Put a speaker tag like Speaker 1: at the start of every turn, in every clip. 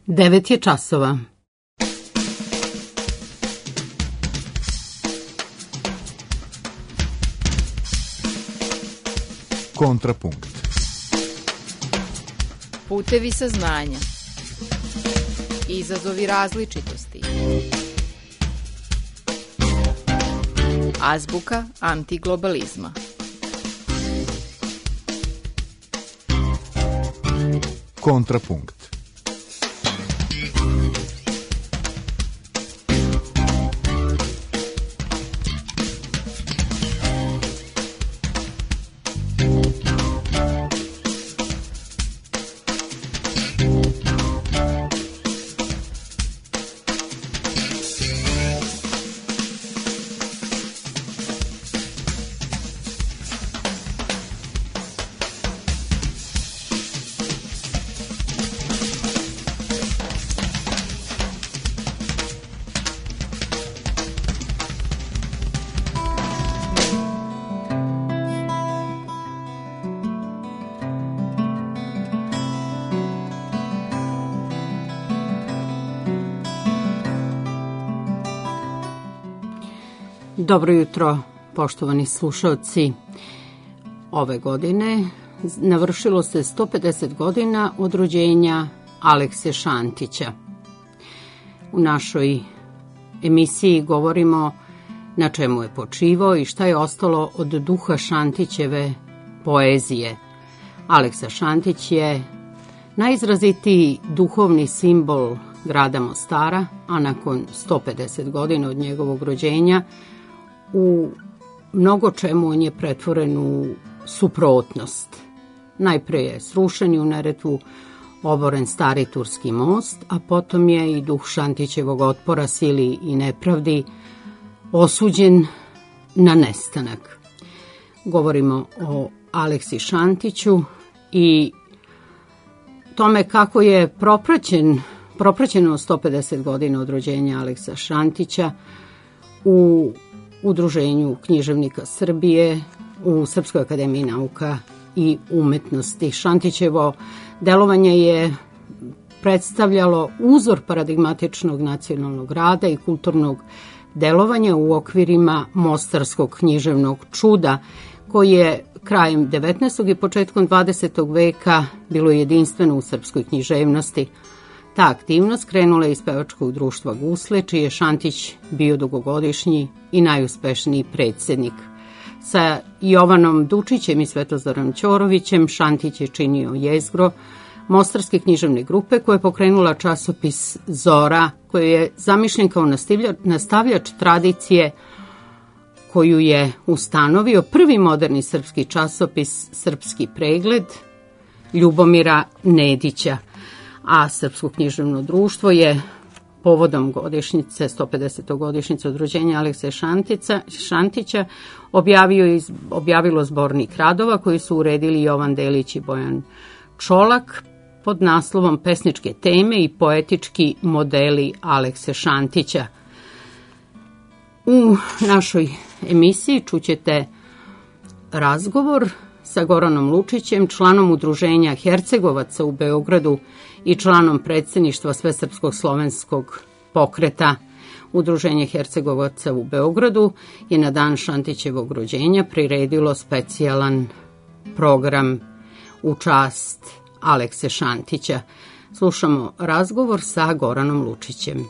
Speaker 1: 9 je časova.
Speaker 2: Kontrapunkt.
Speaker 3: Putevi saznanja. Izazovi različitosti. Azbuka antiglobalizma.
Speaker 2: Kontrapunkt.
Speaker 1: Dobro jutro, poštovani slušalci. Ove godine navršilo se 150 godina od rođenja Alekse Šantića. U našoj emisiji govorimo na čemu je počivao i šta je ostalo od duha Šantićeve poezije. Aleksa Šantić je najizrazitiji duhovni simbol grada Mostara, a nakon 150 godina od njegovog rođenja u mnogo čemu on je pretvoren u suprotnost. Najpre je srušen u Neretvu oboren stari turski most, a potom je i duh Šantićevog otpora sili i nepravdi osuđen na nestanak. Govorimo o Aleksi Šantiću i tome kako je propraćeno 150 godina od rođenja Aleksa Šantića u Udruženju književnika Srbije, u Srpskoj akademiji nauka i umetnosti. Šantićevo delovanje je predstavljalo uzor paradigmatičnog nacionalnog rada i kulturnog delovanja u okvirima mostarskog književnog čuda, koji je krajem 19. i početkom 20. veka bilo jedinstveno u srpskoj književnosti. Ta aktivnost krenula je iz pevačkog društva Gusle, čiji je Šantić bio dugogodišnji i najuspešniji predsjednik. Sa Jovanom Dučićem i Svetozorom Ćorovićem Šantić je činio jezgro mostarske književne grupe koja je pokrenula časopis Zora, koji je zamišljen kao nastavljač tradicije koju je ustanovio prvi moderni srpski časopis Srpski pregled Ljubomira Nedića. A Srpsko književno društvo je povodom godišnjice, 150. godišnjice od rođenja Alekse Šantića objavilo zbornik radova koji su uredili Jovan Delić i Bojan Čolak pod naslovom Pesničke teme i poetički modeli Alekse Šantića. U našoj emisiji čućete razgovor sa Goranom Lučićem, članom Udruženja Hercegovaca u Beogradu i članom predsjedništva Svesrpskog slovenskog pokreta. Udruženje Hercegovaca u Beogradu je na dan Šantićevog rođenja priredilo specijalan program u čast Alekse Šantića. Slušamo razgovor sa Goranom Lučićem.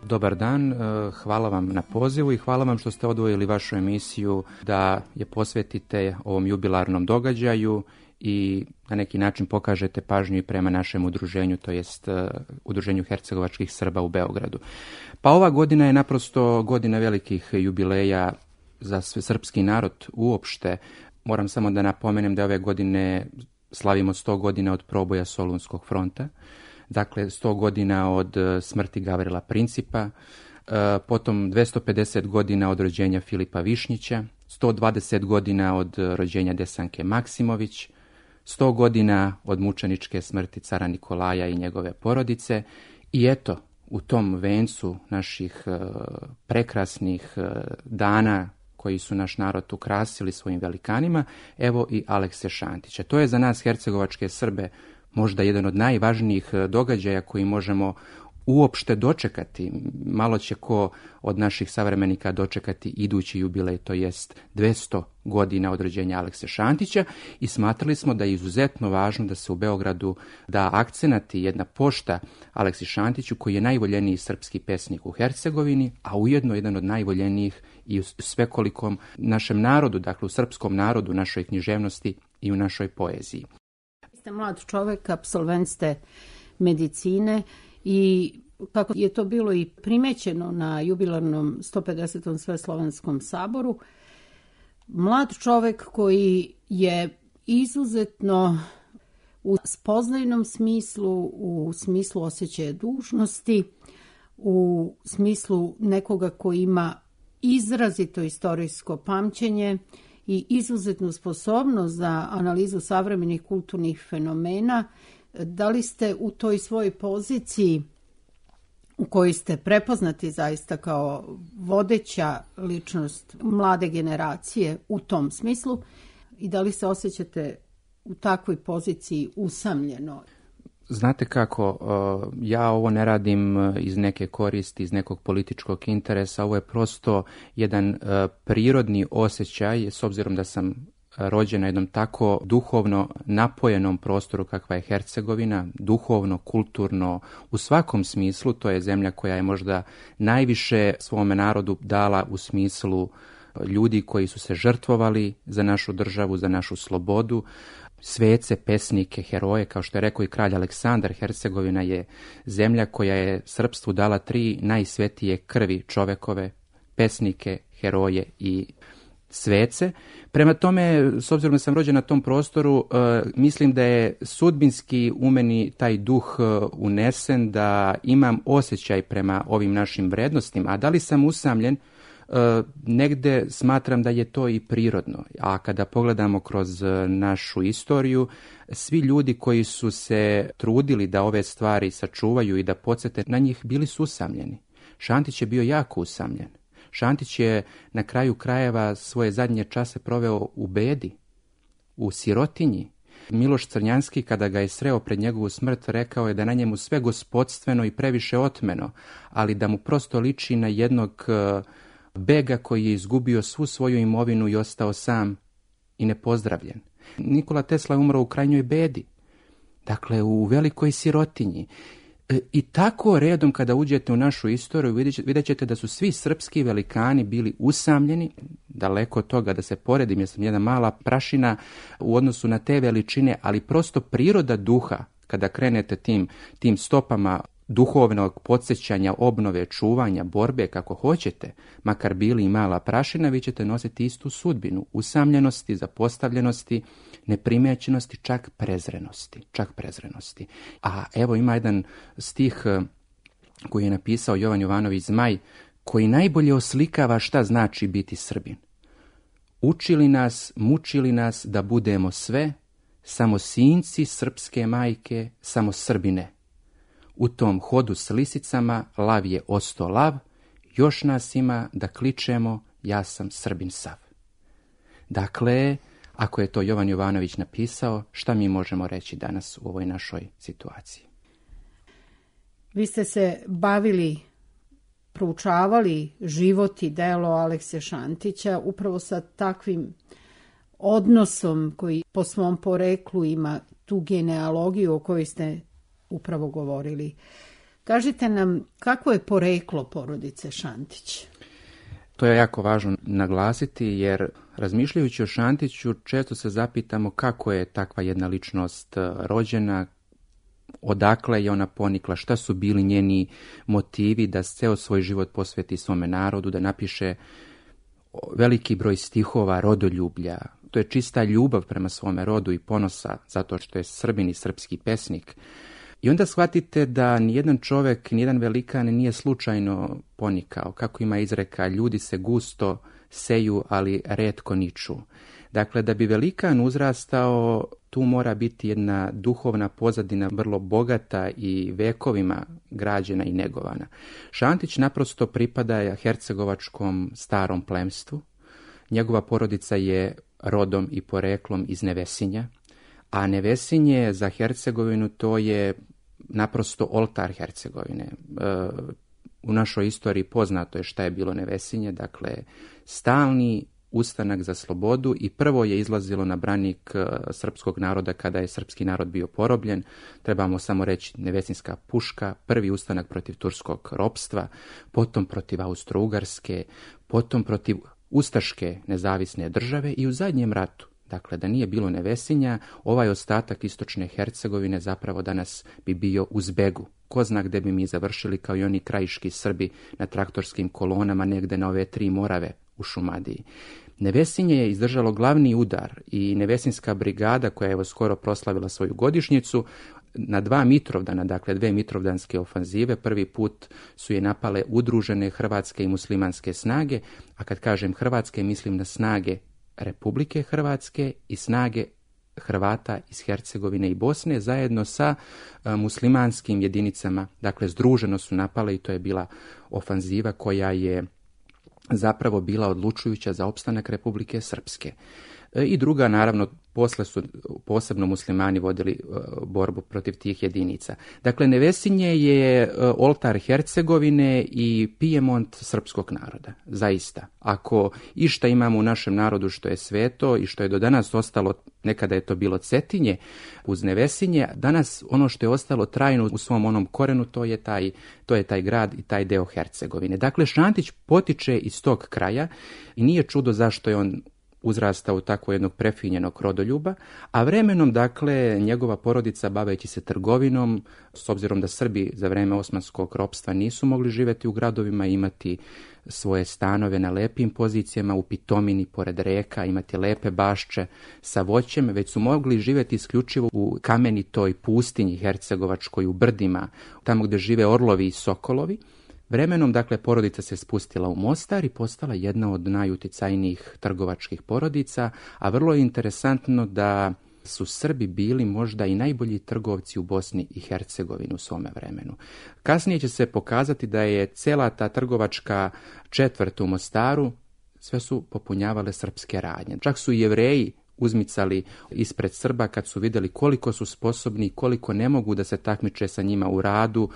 Speaker 4: Dobar dan, hvala vam na pozivu i hvala vam što ste odvojili vašu emisiju da je posvetite ovom jubilarnom događaju i na neki način pokažete pažnju i prema našem udruženju, to jest Udruženju hercegovačkih Srba u Beogradu. Pa ova godina je naprosto godina velikih jubileja za srpski narod uopšte. Moram samo da napomenem da ove godine slavimo 100 godina od proboja Solunskog fronta, dakle 100 godina od smrti Gavrila Principa, potom 250 godina od rođenja Filipa Višnjića, 120 godina od rođenja Desanke Maksimović, 100 godina od mučeničke smrti cara Nikolaja i njegove porodice. I eto, u tom vencu naših prekrasnih dana koji su naš narod ukrasili svojim velikanima, evo i Alekse Šantića. To je za nas hercegovačke Srbe možda jedan od najvažnijih događaja koji možemo uopšte dočekati. Malo će ko od naših savremenika dočekati idući jubilej, to jest 200 godina od rođenja Alekse Šantića, i smatrali smo da je izuzetno važno da se u Beogradu da akcenat i jedna pošta Aleksi Šantiću, koji je najvoljeniji srpski pesnik u Hercegovini, a ujedno jedan od najvoljenijih i u svekolikom našem narodu, dakle u srpskom narodu, našoj književnosti i u našoj poeziji.
Speaker 1: Ste mlad čovjek, apsolvent ste medicine i kako je to bilo i primećeno na jubilarnom 150. Sveslovenskom saboru, mlad čovjek koji je izuzetno u spoznajnom smislu, u smislu osjećaja dužnosti, u smislu nekoga koji ima izrazito istorijsko pamćenje i izuzetnu sposobnost za analizu savremenih kulturnih fenomena. Da li ste u toj svojoj poziciji u kojoj ste prepoznati zaista kao vodeća ličnost mlade generacije u tom smislu i da li se osjećate u takvoj poziciji usamljeno?
Speaker 4: Znate kako, ja ovo ne radim iz neke koristi, iz nekog političkog interesa, ovo je prosto jedan prirodni osjećaj, s obzirom da sam rođen na jednom tako duhovno napojenom prostoru kakva je Hercegovina, duhovno, kulturno, u svakom smislu. To je zemlja koja je možda najviše svome narodu dala u smislu ljudi koji su se žrtvovali za našu državu, za našu slobodu, svece, pesnike, heroje, kao što je rekao i kralj Aleksandar. Hercegovina je zemlja koja je srpstvu dala 3 najsvetije krvi čovekove, pesnike, heroje i svece. Prema tome, s obzirom da sam rođen na tom prostoru, mislim da je sudbinski u meni taj duh unesen, da imam osjećaj prema ovim našim vrednostima. A da li sam usamljen? Negde smatram da je to i prirodno. A kada pogledamo kroz našu istoriju, svi ljudi koji su se trudili da ove stvari sačuvaju i da podsjete na njih, bili su usamljeni. Šantić je bio jako usamljen. Šantić je na kraju krajeva svoje zadnje čase proveo u bedi, u sirotinji. Miloš Crnjanski, kada ga je sreo pred njegovu smrt, rekao je da na njemu sve gospodstveno i previše otmeno, ali da mu prosto liči na jednog bega koji je izgubio svu svoju imovinu i ostao sam i nepozdravljen. Nikola Tesla je umro u krajnjoj bedi, dakle u velikoj sirotinji. I tako redom kada uđete u našu istoriju vidjet ćete da su svi srpski velikani bili usamljeni, daleko od toga da se poredim, jer sam jedna mala prašina u odnosu na te veličine, ali prosto priroda duha, kada krenete tim stopama duhovnog podsjećanja, obnove, čuvanja, borbe, kako hoćete, makar bili i mala prašina, vi ćete nositi istu sudbinu, usamljenosti, zapostavljenosti, neprimećenosti, čak prezrenosti. A evo ima jedan stih koji je napisao Jovan Jovanović Zmaj, koji najbolje oslikava šta znači biti Srbin. Učili nas, mučili nas da budemo sve, samo sinci srpske majke, samo Srbine. U tom hodu s lisicama lav je osto lav, još nas ima da kličemo ja sam Srbin sav. Dakle, ako je to Jovan Jovanović napisao, šta mi možemo reći danas u ovoj našoj situaciji?
Speaker 1: Vi ste se bavili, proučavali život i delo Alekse Šantića upravo sa takvim odnosom koji po svom poreklu ima tu genealogiju o kojoj ste upravo govorili. Kažite nam, kako je poreklo porodice Šantić?
Speaker 4: To je jako važno naglasiti, jer razmišljajući o Šantiću često se zapitamo kako je takva jedna ličnost rođena, odakle je ona ponikla, šta su bili njeni motivi da ceo svoj život posveti svome narodu, da napiše veliki broj stihova rodoljublja. To je čista ljubav prema svome rodu i ponosa, zato što je Srbin i srpski pesnik. I onda shvatite da nijedan čovek, nijedan velikan nije slučajno ponikao. Kako ima izreka, ljudi se gusto seju, ali retko niču. Dakle, da bi velikan uzrastao, tu mora biti jedna duhovna pozadina vrlo bogata i vekovima građena i negovana. Šantić naprosto pripada hercegovačkom starom plemstvu. Njegova porodica je rodom i poreklom iz Nevesinja, A Nevesinje za Hercegovinu to je naprosto oltar Hercegovine. U našoj istoriji poznato je šta je bilo Nevesinje, dakle stalni ustanak za slobodu i prvo je izlazilo na branik srpskog naroda kada je srpski narod bio porobljen. Trebamo samo reći Nevesinska puška, prvi ustanak protiv turskog ropstva, potom protiv Austro-Ugarske, potom protiv ustaške nezavisne države i u zadnjem ratu. Dakle, da nije bilo Nevesinja, ovaj ostatak istočne Hercegovine zapravo danas bi bio u zbegu. Ko zna gde bi mi završili kao i oni krajiški Srbi na traktorskim kolonama negde na ove 3 Morave u Šumadiji. Nevesinje je izdržalo glavni udar i Nevesinska brigada, koja je evo skoro proslavila svoju godišnjicu, na 2 Mitrovdana, dakle 2 mitrovdanske ofanzive, prvi put su je napale udružene hrvatske i muslimanske snage, a kad kažem hrvatske mislim na snage Republike Hrvatske i snage Hrvata iz Hercegovine i Bosne zajedno sa muslimanskim jedinicama, dakle združeno su napale i to je bila ofanziva koja je zapravo bila odlučujuća za opstanak Republike Srpske. I druga, naravno, posle su posebno muslimani vodili borbu protiv tih jedinica. Dakle, Nevesinje je oltar Hercegovine i Pijemont srpskog naroda, zaista. Ako išta imamo u našem narodu što je sveto i što je do danas ostalo, nekada je to bilo Cetinje, uz Nevesinje, danas ono što je ostalo trajno u svom onom korenu, to je taj grad i taj deo Hercegovine. Dakle, Šantić potiče iz tog kraja i nije čudo zašto je on uzrastao u tako jednog prefinjenog rodoljuba, a vremenom, dakle, njegova porodica, baveći se trgovinom, s obzirom da Srbi za vreme osmanskog ropstva nisu mogli živjeti u gradovima, imati svoje stanove na lepim pozicijama, u pitomini, pored reka, imati lepe bašče sa voćem, već su mogli živjeti isključivo u kamenitoj pustinji hercegovačkoj, u brdima, tamo gdje žive orlovi i sokolovi. Vremenom, dakle, porodica se spustila u Mostar i postala jedna od najuticajnijih trgovačkih porodica, a vrlo je interesantno da su Srbi bili možda i najbolji trgovci u Bosni i Hercegovini u svome vremenu. Kasnije će se pokazati da je cela ta trgovačka četvrt u Mostaru, sve su popunjavale srpske radnje. Čak su i Jevreji uzmicali ispred Srba kad su vidjeli koliko su sposobni, koliko ne mogu da se takmiče sa njima u radu,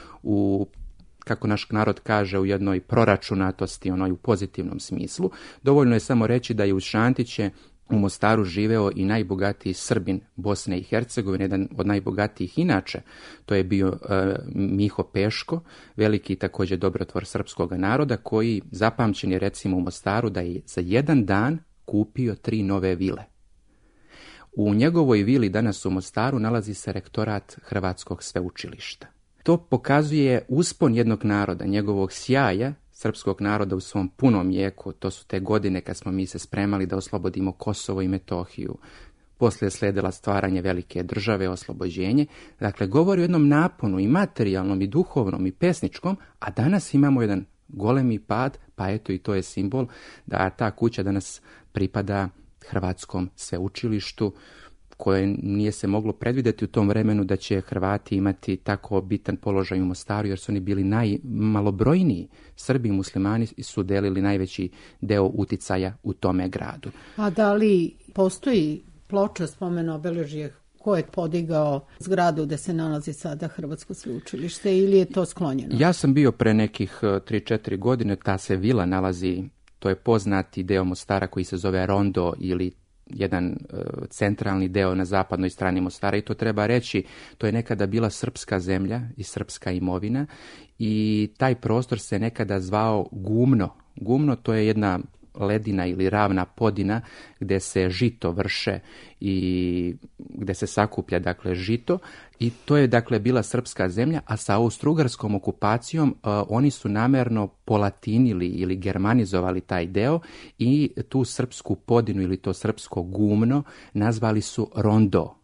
Speaker 4: kako naš narod kaže, u jednoj proračunatosti, onoj u pozitivnom smislu. Dovoljno je samo reći da je uz Šantiće u Mostaru živeo i najbogatiji Srbin Bosne i Hercegovine, jedan od najbogatijih inače, to je bio Miho Peško, veliki također dobrotvor srpskog naroda, koji zapamćen je recimo u Mostaru da je za jedan dan kupio 3 nove vile. U njegovoj vili danas u Mostaru nalazi se rektorat Hrvatskog sveučilišta. To pokazuje uspon jednog naroda, njegovog sjaja, srpskog naroda u svom punom jeku. To su te godine kad smo mi se spremali da oslobodimo Kosovo i Metohiju. Poslije je slijedila stvaranje velike države, oslobođenje. Dakle, govori o jednom naponu i materijalnom, i duhovnom, i pesničkom, a danas imamo jedan golemi pad, pa eto i to je simbol da ta kuća danas pripada Hrvatskom sveučilištu, koje nije se moglo predvidjeti u tom vremenu da će Hrvati imati tako bitan položaj u Mostaru, jer su oni bili najmalobrojniji. Srbi i muslimani su delili najveći deo uticaja u tome gradu.
Speaker 1: A da li postoji ploča, spomen obeležje, ko je podigao zgradu gde se nalazi sada Hrvatsko sveučilište ili je to sklonjeno? Ja
Speaker 4: sam bio pre nekih 3-4 godine, ta se vila nalazi, to je poznati deo Mostara koji se zove Rondo ili jedan centralni deo na zapadnoj strani Mostara, i to treba reći, to je nekada bila srpska zemlja i srpska imovina i taj prostor se nekada zvao Gumno. Gumno, to je jedna ledina ili ravna podina gdje se žito vrše i gdje se sakuplja, dakle, žito, i to je, dakle, bila srpska zemlja, a sa austrougarskom okupacijom oni su namerno polatinili ili germanizovali taj deo i tu srpsku podinu ili to srpsko Gumno nazvali su Rondo.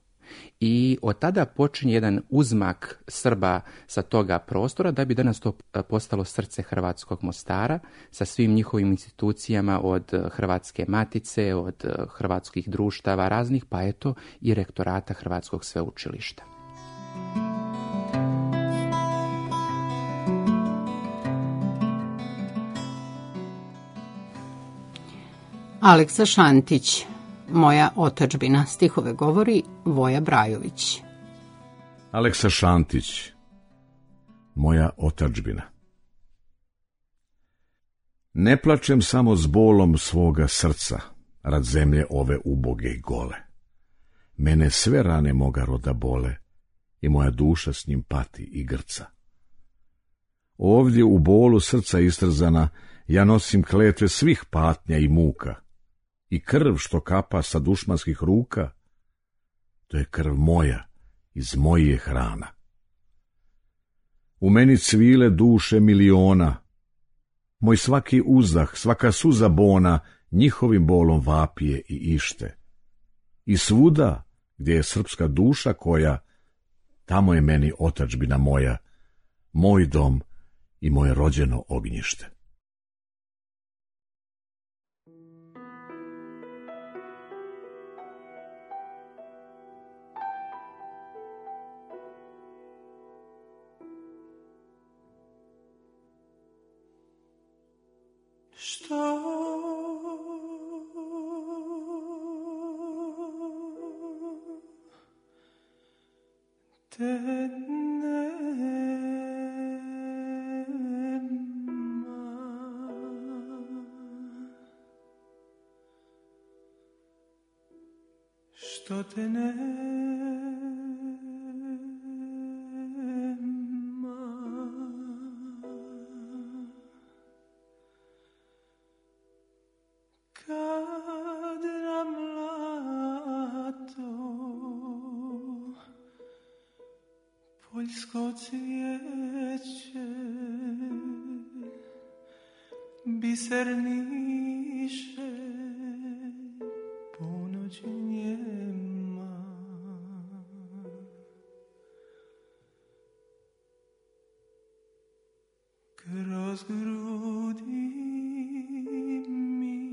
Speaker 4: I od tada počinje jedan uzmak Srba sa toga prostora da bi danas to postalo srce hrvatskog Mostara sa svim njihovim institucijama, od Hrvatske matice, od hrvatskih društava raznih, pa eto i rektorata Hrvatskog sveučilišta.
Speaker 1: Aleksa Šantić, Moja otadžbina. Stihove govori Voja Brajović.
Speaker 5: Aleksa Šantić. Moja otadžbina. Ne plačem samo s bolom svoga srca, rad zemlje ove uboge i gole. Mene sve rane moga roda bole i moja duša s njim pati i grca. Ovdje u bolu srca istrzana ja nosim kletve svih patnja i muka i krv što kapa sa dušmanskih ruka, to je krv moja iz mojih hrana. U meni cvile duše miliona, moj svaki uzdah, svaka suza bona njihovim bolom vapije i ište. I svuda gdje je srpska duša koja, tamo je meni otadžbina moja, moj dom i moje rođeno ognjište.
Speaker 6: Što te nema, što te nema, kad nam lato poljsko cvijeće biserniše ponoć njema. Kroz grudi mi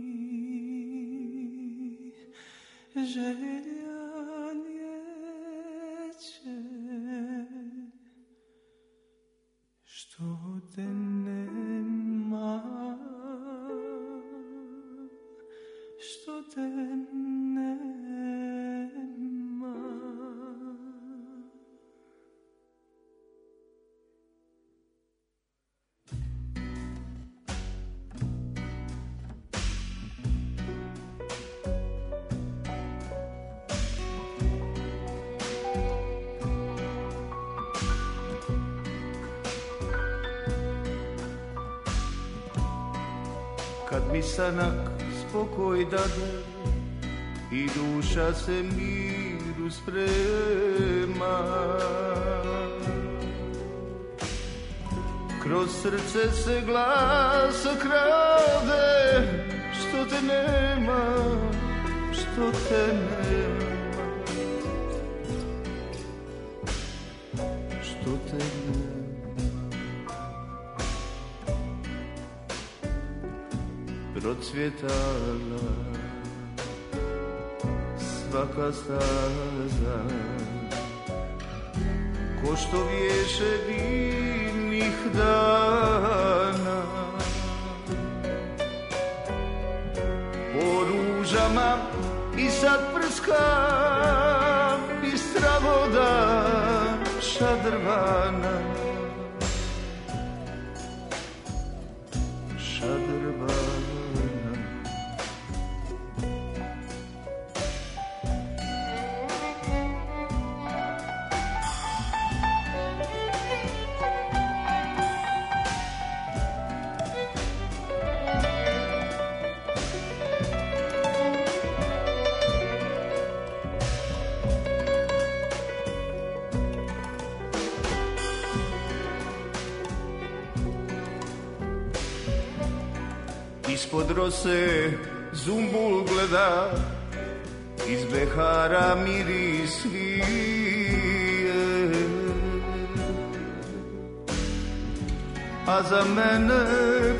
Speaker 6: želja lijeće, što te nema, što te nema. Kad mi sanak spokoj dade i duša se miru sprema, kroz srce se glas krade, što te nema, što te nema, što te nema. Procvjetala svaka staza, ko što viješe divnih dana, po ružama i sad prska bistra voda šadrvana, šadrvana. Ispod rose zumbul gleda, iz behara miris vije, a za mene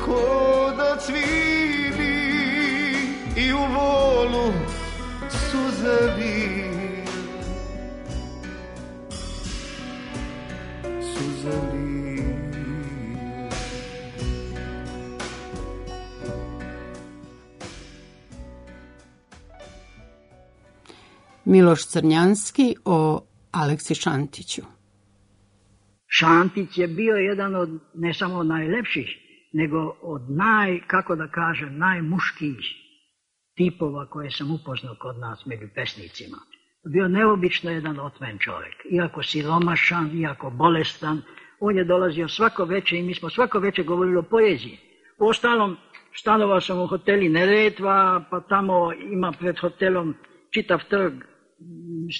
Speaker 6: ko da cvili i u volu suze vije, suze vije.
Speaker 1: Miloš Crnjanski o Aleksi Šantiću.
Speaker 7: Šantić je bio jedan od ne samo najlepših, nego od najmuškijih tipova koje sam upoznao kod nas među pesnicima. Bio neobično jedan otvoren čovjek. Iako siromašan, iako bolestan, on je dolazio svako večer i mi smo svako večer govorili o poeziji. Uostalom, stanovao sam u hoteli Neretva, pa tamo ima pred hotelom čitav trg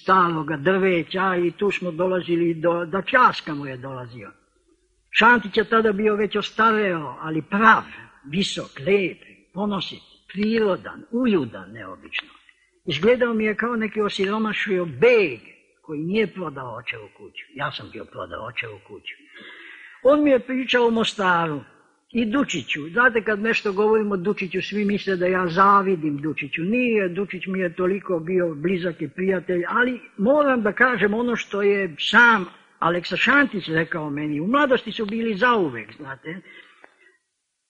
Speaker 7: staloga drveća i tu smo dolazili do Časka mu je dolazio. Šantić je tada bio već ostareo, ali prav, visok, lijep, ponosit, prirodan, uljudan neobično. Izgledao mi je kao neki osiromašio beg koji nije prodao očevu kuću. Ja sam bio prodao očevu kuću. On mi je pričao o Mostaru i Dučiću. Znate, kad nešto govorimo o Dučiću, svi misle da ja zavidim Dučiću. Nije, Dučić mi je toliko bio blizak i prijatelj, ali moram da kažem ono što je sam Aleksa Šantić rekao meni. U mladosti su bili zauvek, znate.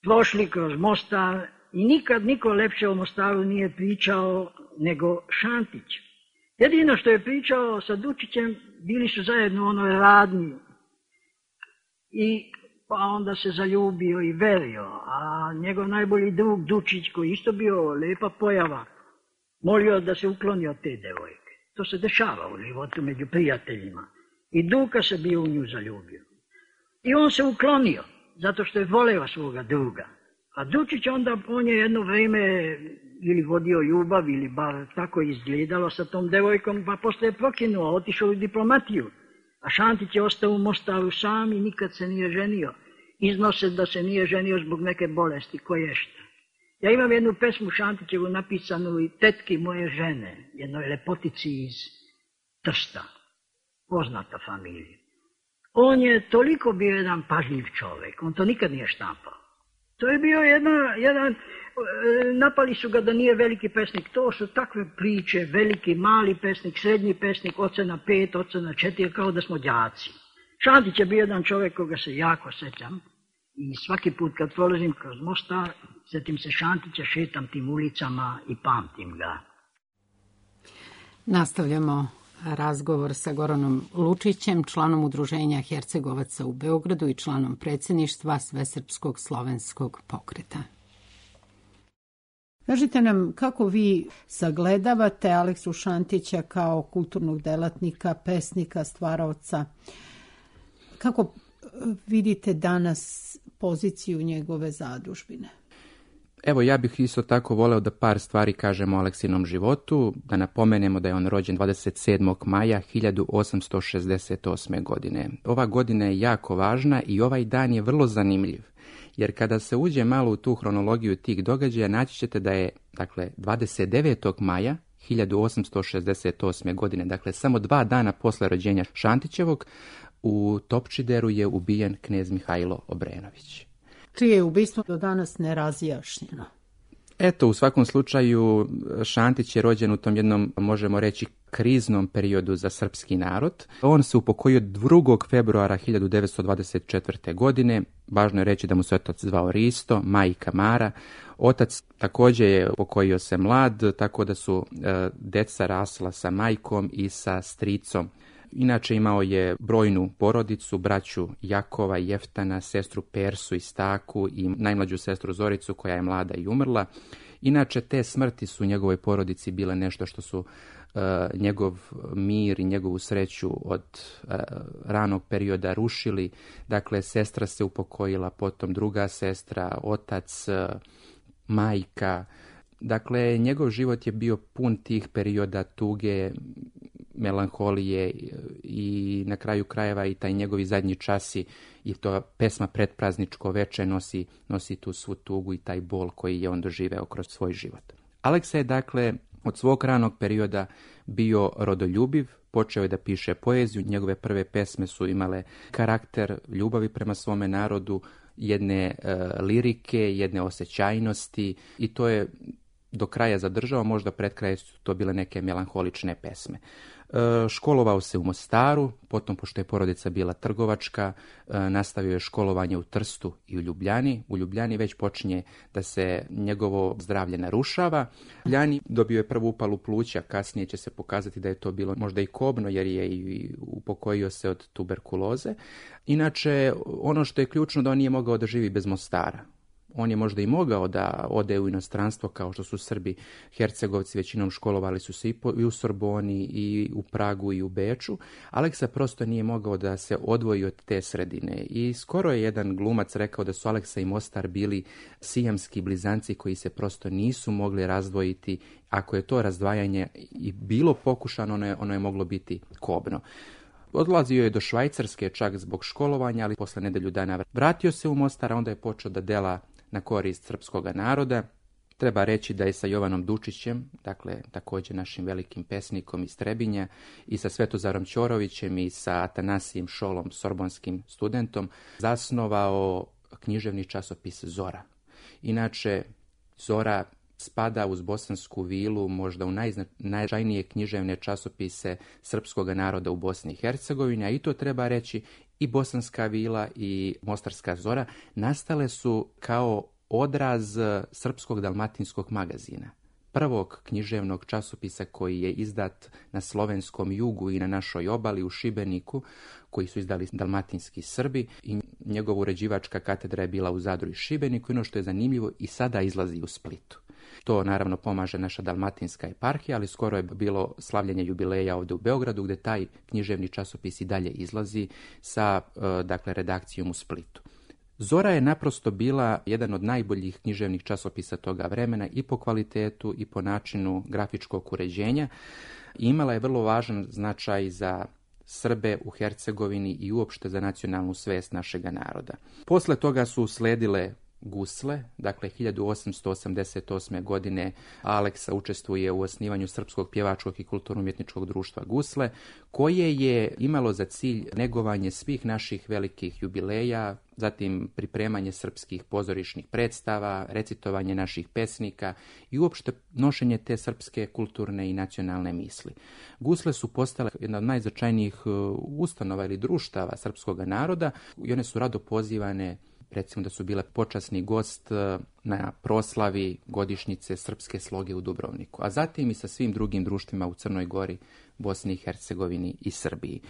Speaker 7: Prošli kroz Mostar i nikad niko lepše o Mostaru nije pričao nego Šantić. Jedino što je pričao sa Dučićem, bili su zajedno u onoj radnji. I pa onda se zaljubio i verio, a njegov najbolji drug Dučić, koji isto bio lepa pojava, molio da se ukloni od te devojke. To se dešava u životu među prijateljima. I Duka se bio u nju zaljubio. I on se uklonio, zato što je voleo svoga druga. A Dučić onda, on je jedno vrijeme ili vodio ljubav, ili bar tako izgledalo sa tom devojkom, pa posle je prokinuo, otišao u diplomatiju. A Šantić je ostao u Mostaru sam i nikad se nije ženio. Iznose da se nije ženio zbog neke bolesti, koješta. Ja imam jednu pesmu Šantićevu napisanu i tetki moje žene, jednoj lepotici iz Trsta, poznata familija. On je toliko bio jedan pažljiv čovjek, on to nikad nije štampao. To je bio jedan, napali su ga da nije veliki pesnik, to su takve priče, veliki, mali pesnik, srednji pesnik, ocena 5, ocena 4, kao da smo đaci. Šantić je bio jedan čovjek koga se jako sećam i svaki put kad prolazim kroz Mostar, setim se Šantića, šetam tim ulicama i pamtim ga.
Speaker 1: Nastavljamo razgovor sa Goranom Lučićem, članom Udruženja Hercegovaca u Beogradu i članom predsjedništva Svesrpskog slovenskog pokreta. Kažite nam kako vi sagledavate Aleksu Šantića kao kulturnog delatnika, pesnika, stvaraoca. Kako vidite danas poziciju njegove zadužbine?
Speaker 4: Evo, ja bih isto tako voleo da par stvari kažemo o Aleksinom životu, da napomenemo da je on rođen 27. maja 1868. godine. Ova godina je jako važna i ovaj dan je vrlo zanimljiv, jer kada se uđe malo u tu hronologiju tih događaja, naći ćete da je, 29. maja 1868. godine, samo 2 dana posle rođenja Šantićevog, u Topčideru je ubijen knez Mihajlo Obrenović.
Speaker 1: Čije je ubistvo do danas nerazjašnjeno?
Speaker 4: Eto, u svakom slučaju, Šantić je rođen u tom jednom, možemo reći, kriznom periodu za srpski narod. On se upokojio 2. februara 1924. godine. Važno je reći da mu se otac zvao Risto, majka Mara. Otac također je upokojio se mlad, tako da su deca rasla sa majkom i sa stricom. Inače imao je brojnu porodicu, braću Jakova, Jeftana, sestru Persu i Staku i najmlađu sestru Zoricu koja je mlada i umrla. Inače te smrti su u njegovoj porodici bile nešto što su njegov mir i njegovu sreću od ranog perioda rušili. Dakle, sestra se upokojila, potom druga sestra, otac, majka. Dakle, njegov život je bio pun tih perioda tuge, melanholije i na kraju krajeva i taj njegovi zadnji časi i to pesma Pretprazničko veče nosi tu svu tugu i taj bol koji je on doživeo kroz svoj život. Aleksa je od svog ranog perioda bio rodoljubiv, počeo je da piše poeziju, njegove prve pesme su imale karakter ljubavi prema svome narodu, jedne lirike, jedne osjećajnosti i to je do kraja zadržao, možda pred kraja su to bile neke melanholične pesme. Školovao se u Mostaru, potom pošto je porodica bila trgovačka, nastavio je školovanje u Trstu i u Ljubljani. U Ljubljani već počinje da se njegovo zdravlje narušava. U Ljubljani dobio je prvu upalu pluća, kasnije će se pokazati da je to bilo možda i kobno jer je i upokojio se od tuberkuloze. Inače, ono što je ključno da on nije mogao da živi bez Mostara. On je možda i mogao da ode u inostranstvo kao što su Srbi, Hercegovci, većinom školovali su se i u Sorboni i u Pragu i u Beču. Aleksa prosto nije mogao da se odvoji od te sredine i skoro je jedan glumac rekao da su Aleksa i Mostar bili sijamski blizanci koji se prosto nisu mogli razdvojiti. Ako je to razdvajanje i bilo pokušano, ono je moglo biti kobno. Odlazio je do Švajcarske čak zbog školovanja, ali posle nedelju dana vratio se u Mostar, a onda je počeo da dela na korist srpskog naroda. Treba reći da je sa Jovanom Dučićem, dakle također našim velikim pesnikom iz Trebinja, i sa Svetozarom Ćorovićem i sa Atanasijem Šolom, sorbonskim studentom, zasnovao književni časopis Zora. Inače, Zora spada uz Bosansku vilu možda u najznačajnije književne časopise srpskog naroda u Bosni i Hercegovini, a i to treba reći, i Bosanska vila i Mostarska Zora nastale su kao odraz Srpskog dalmatinskog magazina, prvog književnog časopisa koji je izdat na slovenskom jugu i na našoj obali u Šibeniku, koji su izdali dalmatinski Srbi, i njegova uređivačka katedra je bila u Zadru i Šibeniku. I ono što je zanimljivo, i sada izlazi u Splitu. To naravno pomaže naša dalmatinska eparhija, ali skoro je bilo slavljenje jubileja ovdje u Beogradu, gdje taj književni časopis i dalje izlazi sa redakcijom u Splitu. Zora je naprosto bila jedan od najboljih književnih časopisa toga vremena i po kvalitetu i po načinu grafičkog uređenja. Imala je vrlo važan značaj za Srbe u Hercegovini i uopšte za nacionalnu svest našega naroda. Posle toga su usledile Gusle, dakle 1888. godine Aleksa učestvuje u osnivanju Srpskog pjevačkog i kulturno-umjetničkog društva Gusle, koje je imalo za cilj negovanje svih naših velikih jubileja, zatim pripremanje srpskih pozorišnih predstava, recitovanje naših pesnika i uopšte nošenje te srpske kulturne i nacionalne misli. Gusle su postale jedna od najznačajnijih ustanova ili društava srpskog naroda i one su rado pozivane, recimo da su bile počasni gost na proslavi godišnjice srpske sloge u Dubrovniku, a zatim i sa svim drugim društvima u Crnoj Gori, Bosni i Hercegovini i Srbiji.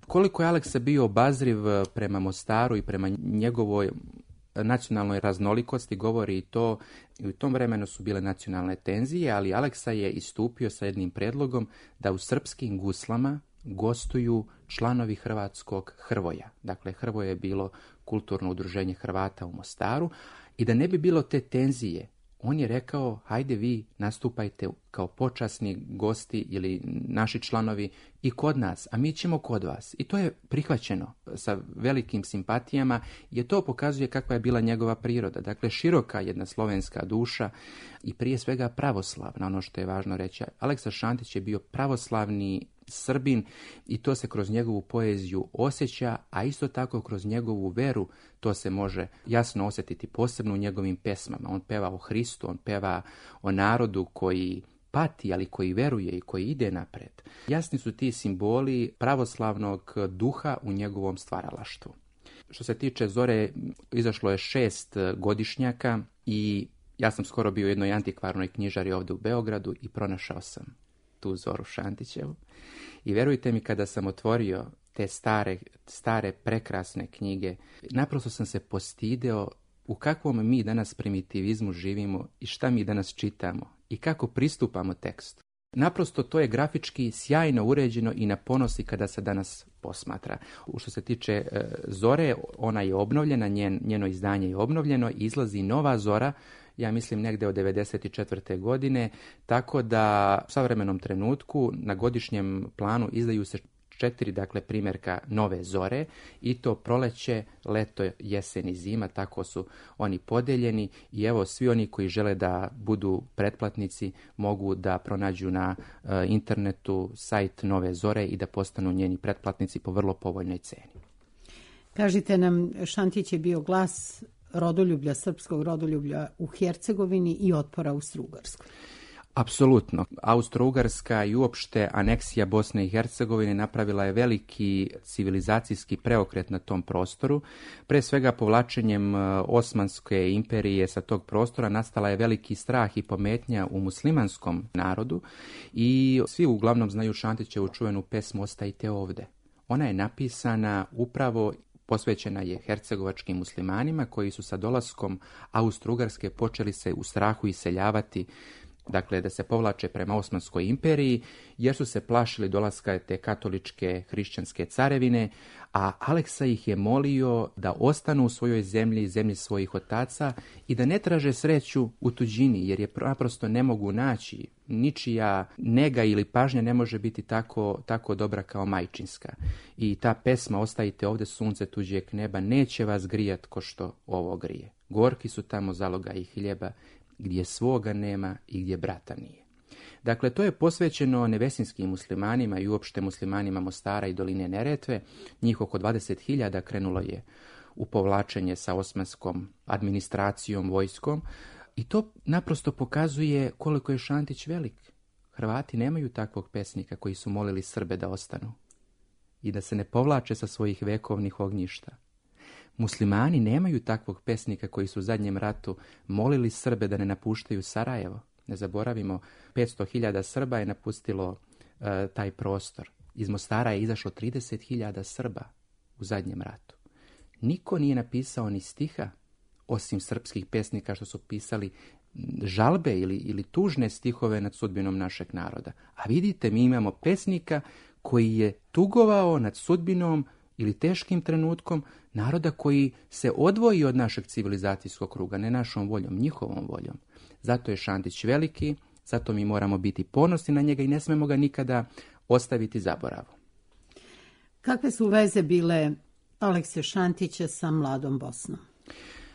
Speaker 4: Koliko je Aleksa bio obazriv prema Mostaru i prema njegovoj nacionalnoj raznolikosti govori i to, i u tom vremenu su bile nacionalne tenzije, ali Aleksa je istupio sa jednim predlogom da u srpskim guslama gostuju članovi hrvatskog Hrvoja. Dakle, Hrvoje je bilo kulturno udruženje Hrvata u Mostaru, i da ne bi bilo te tenzije, on je rekao, hajde vi nastupajte kao počasni gosti ili naši članovi i kod nas, a mi ćemo kod vas. I to je prihvaćeno sa velikim simpatijama, jer to pokazuje kakva je bila njegova priroda. Dakle, široka jedna slovenska duša i prije svega pravoslavna, ono što je važno reći. Aleksa Šantić je bio pravoslavni Srbin i to se kroz njegovu poeziju osjeća, a isto tako kroz njegovu veru to se može jasno osjetiti, posebno u njegovim pesmama. On peva o Hristu, on peva o narodu koji pati, ali koji veruje i koji ide napred. Jasni su ti simboli pravoslavnog duha u njegovom stvaralaštvu. Što se tiče Zore, izašlo je 6 godišnjaka i ja sam skoro bio u jednoj antikvarnoj knjižari ovdje u Beogradu i pronašao sam tu Zoru Šantićevu. I verujte mi, kada sam otvorio te stare prekrasne knjige, naprosto sam se postideo u kakvom mi danas primitivizmu živimo i šta mi danas čitamo i kako pristupamo tekstu. Naprosto to je grafički sjajno uređeno i na ponosi kada se danas posmatra. Što se tiče Zore, ona je obnovljena, njeno izdanje je obnovljeno, izlazi nova Zora, ja mislim negdje od 1994. godine, tako da u savremenom trenutku na godišnjem planu izdaju se 4 primjerka nove Zore, i to proleće, leto, jesen i zima, tako su oni podeljeni, i evo svi oni koji žele da budu pretplatnici mogu da pronađu na internetu sajt Nove Zore i da postanu njeni pretplatnici po vrlo povoljnoj ceni.
Speaker 1: Kažite nam, Šantić je bio glas rodoljublja, srpskog rodoljublja u Hercegovini i otpora u Strugarskoj.
Speaker 4: Apsolutno. Austro-Ugarska i uopšte aneksija Bosne i Hercegovine napravila je veliki civilizacijski preokret na tom prostoru. Pre svega povlačenjem Osmanske imperije sa tog prostora nastala je veliki strah i pometnja u muslimanskom narodu i svi uglavnom znaju Šantićevu čuvenu pesmu Ostajte ovde. Ona je napisana upravo, posvećena je hercegovačkim muslimanima koji su sa dolaskom Austro-Ugarske počeli se u strahu iseljavati, dakle da se povlače prema Osmanskoj imperiji, jer su se plašili dolaska te katoličke hrišćanske carevine, a Aleksa ih je molio da ostanu u svojoj zemlji, zemlji svojih otaca i da ne traže sreću u tuđini, jer je naprosto ne mogu naći. Ničija nega ili pažnja ne može biti tako dobra kao majčinska. I ta pesma Ostajte ovde, sunce tuđeg neba, neće vas grijat ko što ovo grije. Gorki su tamo zalogaji hljeba, gdje svoga nema i gdje brata nije. Dakle, to je posvećeno nevesinskim muslimanima i uopšte muslimanima Mostara i doline Neretve. Njih oko 20.000 krenulo je u povlačenje sa osmanskom administracijom, vojskom. I to naprosto pokazuje koliko je Šantić velik. Hrvati nemaju takvog pesnika koji su molili Srbe da ostanu i da se ne povlače sa svojih vekovnih ognjišta. Muslimani nemaju takvog pesnika koji su u zadnjem ratu molili Srbe da ne napuštaju Sarajevo. Ne zaboravimo, 500.000 Srba je napustilo taj prostor. Iz Mostara je izašlo 30.000 Srba u zadnjem ratu. Niko nije napisao ni stiha, osim srpskih pesnika što su pisali žalbe ili tužne stihove nad sudbinom našeg naroda. A vidite, mi imamo pesnika koji je tugovao nad sudbinom ili teškim trenutkom naroda koji se odvoji od našeg civilizacijskog kruga, ne našom voljom, njihovom voljom. Zato je Šantić veliki, zato mi moramo biti ponosni na njega i ne smemo ga nikada ostaviti zaboravu.
Speaker 1: Kakve su veze bile Alekse Šantića sa mladom Bosnom?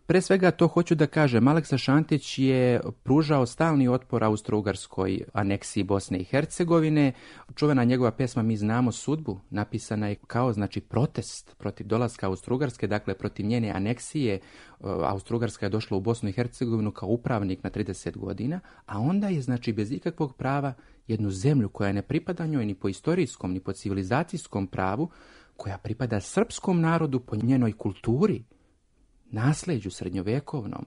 Speaker 4: Pre svega to hoću da kažem, Aleksa Šantić je pružao stalni otpor Austro-Ugarskoj aneksiji Bosne i Hercegovine. Čuvena njegova pesma Mi znamo sudbu napisana je kao protest protiv dolaska Austro-Ugarske, dakle protiv njene aneksije. Austro-Ugarska je došla u Bosnu i Hercegovinu kao upravnik na 30 godina, a onda je bez ikakvog prava jednu zemlju koja ne pripada njoj ni po istorijskom ni po civilizacijskom pravu, koja pripada srpskom narodu po njenoj kulturi, nasleđu srednjovekovnom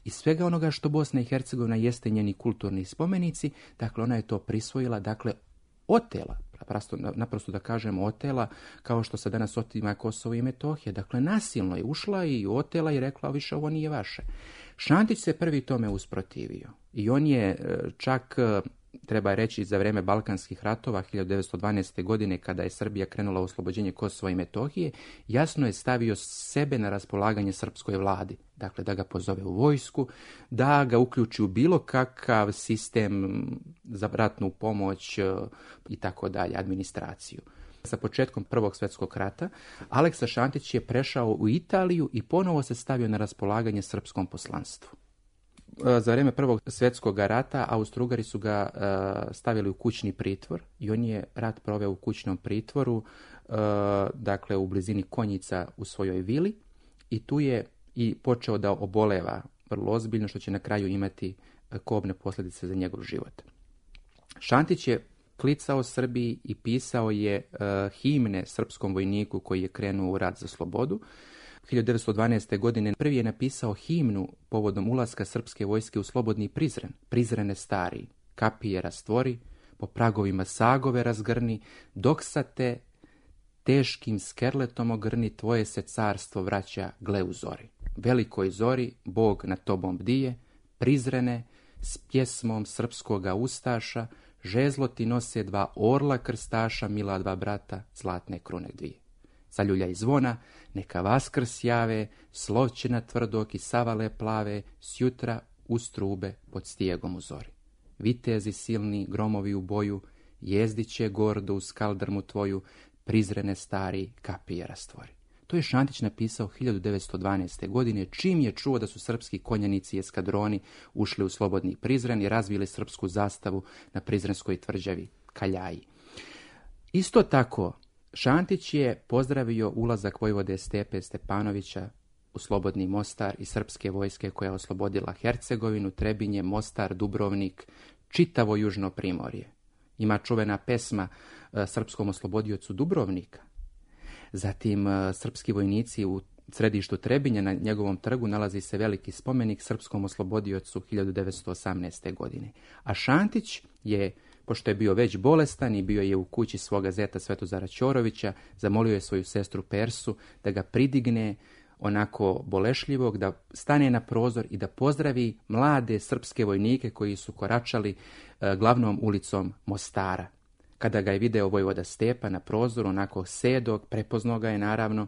Speaker 4: i svega onoga što Bosna i Hercegovina jeste njeni kulturni spomenici, dakle ona je to prisvojila, otela, naprosto da kažemo otela, kao što se danas otima Kosovo i Metohija, dakle nasilno je ušla i otela i rekla više ovo nije vaše. Šantić se prvi tome usprotivio i on je čak, treba reći, za vreme Balkanskih ratova 1912. godine, kada je Srbija krenula u oslobođenje Kosova i Metohije, jasno je stavio sebe na raspolaganje srpskoj vladi. Dakle, da ga pozove u vojsku, da ga uključi u bilo kakav sistem za ratnu pomoć i tako dalje, administraciju. Sa početkom Prvog svjetskog rata, Aleksa Šantić je prešao u Italiju i ponovo se stavio na raspolaganje srpskom poslanstvu. Za vrijeme Prvog svjetskog rata Austro-Ugari su ga stavili u kućni pritvor i on je rat proveo u kućnom pritvoru, dakle u blizini Konjica u svojoj vili, i tu je i počeo da oboleva vrlo ozbiljno, što će na kraju imati kobne posljedice za njegov život. Šantić je klicao Srbiji i pisao je himne srpskom vojniku koji je krenuo u rat za slobodu. 1912. godine prvi je napisao himnu povodom ulaska srpske vojske u slobodni Prizren. Prizrene stari, kapije rastvori, po pragovima sagove razgrni, dok sa te teškim skerletom ogrni, tvoje se carstvo vraća, gle u zori. Velikoj zori, Bog nad tobom bdije, Prizrene, s pjesmom srpskoga ustaša, žezlo ti nose dva orla krstaša, mila dva brata, zlatne krune dvije. Zaljuljaj zvona, neka vaskrs jave, sloćena tvrdok i savale plave, sjutra u strube pod stijegom u zori. Vitezi silni, gromovi u boju, jezdiće gordo u skaldrmu tvoju, Prizrene stari, kapije rastvori. To je Šantić napisao 1912. godine, čim je čuo da su srpski konjanici i eskadroni ušli u slobodni Prizren i razvili srpsku zastavu na prizrenskoj tvrđavi Kaljaji. Isto tako, Šantić je pozdravio ulazak vojvode Stepe Stepanovića u slobodni Mostar i srpske vojske koja je oslobodila Hercegovinu, Trebinje, Mostar, Dubrovnik, čitavo južno primorje. Ima čuvena pesma srpskom oslobodiocu Dubrovnika. Zatim srpski vojnici u središtu Trebinja na njegovom trgu nalazi se veliki spomenik srpskom oslobodiocu 1918. godine. A Šantić je, pošto je bio već bolestan i bio je u kući svoga zeta Svetozara Ćorovića, zamolio je svoju sestru Persu da ga pridigne onako bolešljivog, da stane na prozor i da pozdravi mlade srpske vojnike koji su koračali glavnom ulicom Mostara. Kada ga je video vojvoda Stepa na prozoru, onako sedog, prepoznao ga je naravno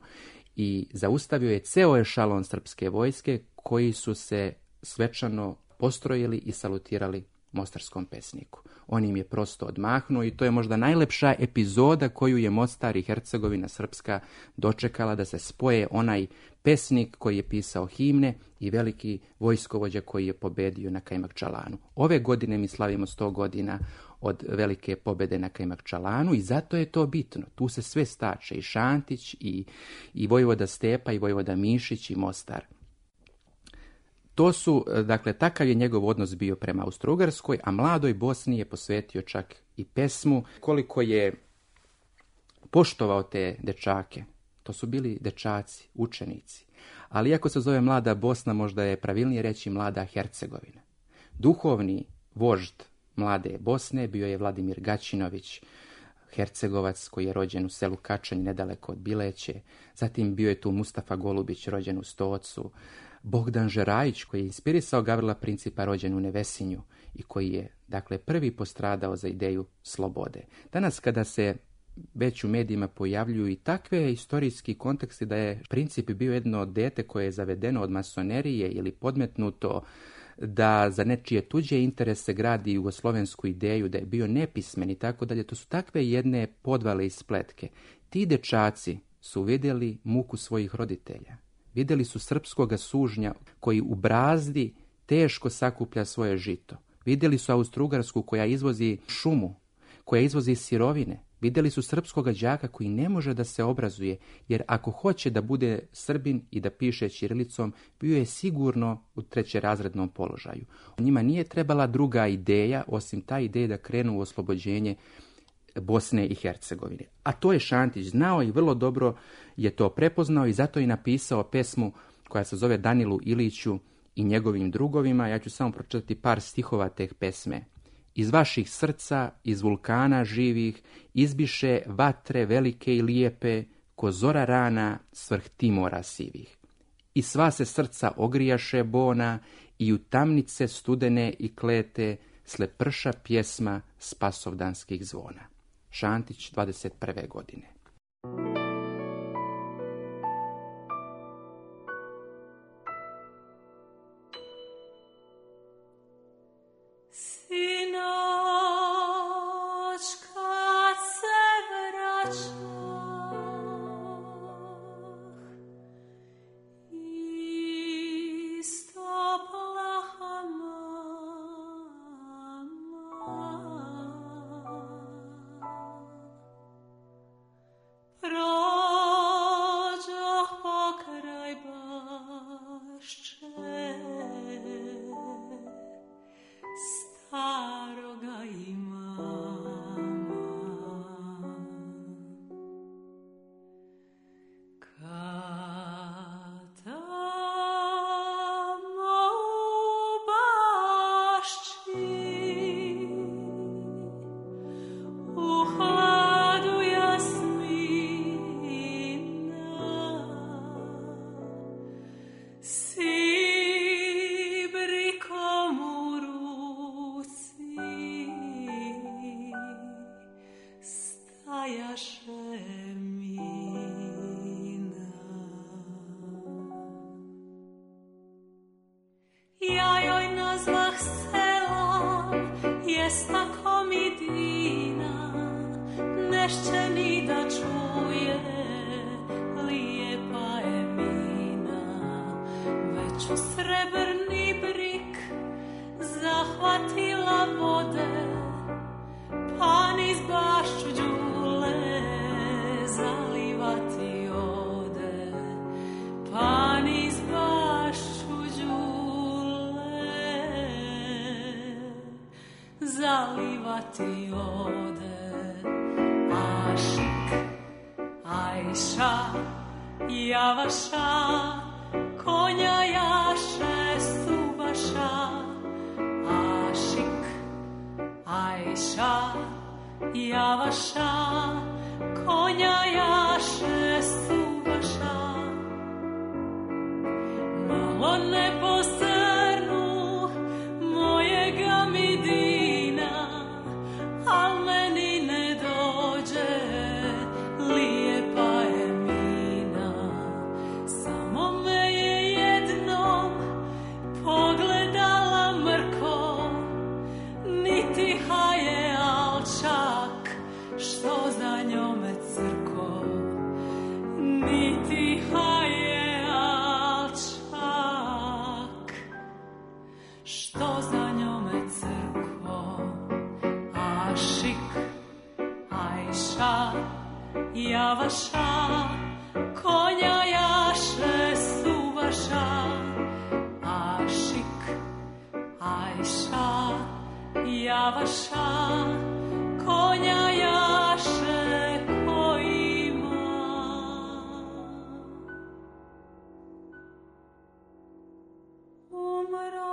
Speaker 4: i zaustavio je ceo ešalon srpske vojske koji su se svečano postrojili i salutirali mostarskom pesniku. On im je prosto odmahnuo i to je možda najlepša epizoda koju je Mostar i Hercegovina Srpska dočekala, da se spoje onaj pesnik koji je pisao himne i veliki vojskovođa koji je pobedio na Kajmakčalanu. Ove godine mi slavimo 100 godina od velike pobede na Kajmakčalanu i zato je to bitno. Tu se sve stače, i Šantić, i vojvoda Stepa, i vojvoda Mišić, i Mostar. To su, dakle, takav je njegov odnos bio prema Austro-Ugarskoj, a mladoj Bosni je posvetio čak i pesmu. Koliko je poštovao te dečake, to su bili dečaci, učenici. Ali iako se zove mlada Bosna, možda je pravilnije reći mlada Hercegovina. Duhovni vožd mlade Bosne bio je Vladimir Gaćinović, Hercegovac koji je rođen u selu Kačanj nedaleko od Bileće. Zatim bio je tu Mustafa Golubić, rođen u Stocu. Bogdan Žerajić koji je inspirisao Gavrila Principa, rođen u Nevesinju i koji je, dakle, prvi postradao za ideju slobode. Danas kada se već u medijima pojavljuju i takve historijski konteksti da je Princip bio jedno dete koje je zavedeno od masonerije ili podmetnuto da za nečije tuđe interese gradi jugoslovensku ideju, da je bio nepismen i tako dalje, to su takve jedne podvale i spletke. Ti dečaci su vidjeli muku svojih roditelja. Vidjeli su srpskoga sužnja koji u brazdi teško sakuplja svoje žito. Vidjeli su Austro-Ugarsku koja izvozi šumu, koja izvozi sirovine. Vidjeli su srpskoga đaka koji ne može da se obrazuje, jer ako hoće da bude Srbin i da piše ćirilicom, bio je sigurno u trećerazrednom položaju. Njima nije trebala druga ideja, osim ta ideja da krenu u oslobođenje Bosne i Hercegovine. A to je Šantić znao i vrlo dobro je to prepoznao i zato je napisao pesmu koja se zove Danilu Iliću i njegovim drugovima. Ja ću samo pročitati par stihova te pesme. Iz vaših srca, iz vulkana živih, izbiše vatre velike i lijepe, ko zora rana svrh Timora sivih. I sva se srca ogrijaše bona, i u tamnice studene i klete, sleprša pjesma spasovdanskih zvona. Šantić, 21. godine.
Speaker 8: ti ode. Ašik, Ajša, Javaša, konja jaše Subaša. Ašik, Ajša, Javaša, konja jaše Subaša. Malo ne posrnu mojega Midina, al meni ne dođe lijepa je mina. Samo me je jednom pogledala mrko, niti haje alčak što za njome crko, niti haje alčak što za njome crko. Ašik, Ajša, Javaša, konja jaše Subaša. Ašik, Ajša, Javaša, konja jaše ko ima. Umro